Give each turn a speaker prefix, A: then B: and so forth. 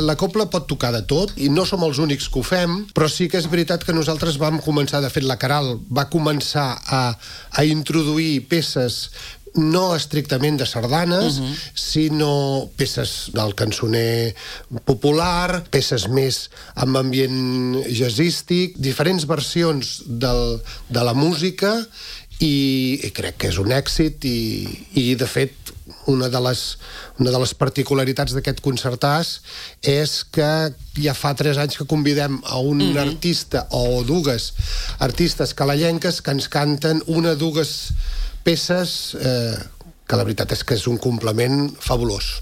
A: La cobla pot tocar de tot i no som els únics que ho fem, però sí que és veritat que nosaltres vam començar, de fet la Caral va començar a introduir peces no estrictament de sardanes, sinó peces del cançoner popular, peces més amb ambient jazzístic, diferents versions de la música, i crec que és un èxit i de fet una de les particularitats d'aquest concertàs és que ja fa 3 anys que convidem a un artista o dues artistes calellenques que ens canten una o dues peces que la veritat és que és un complement fabulós.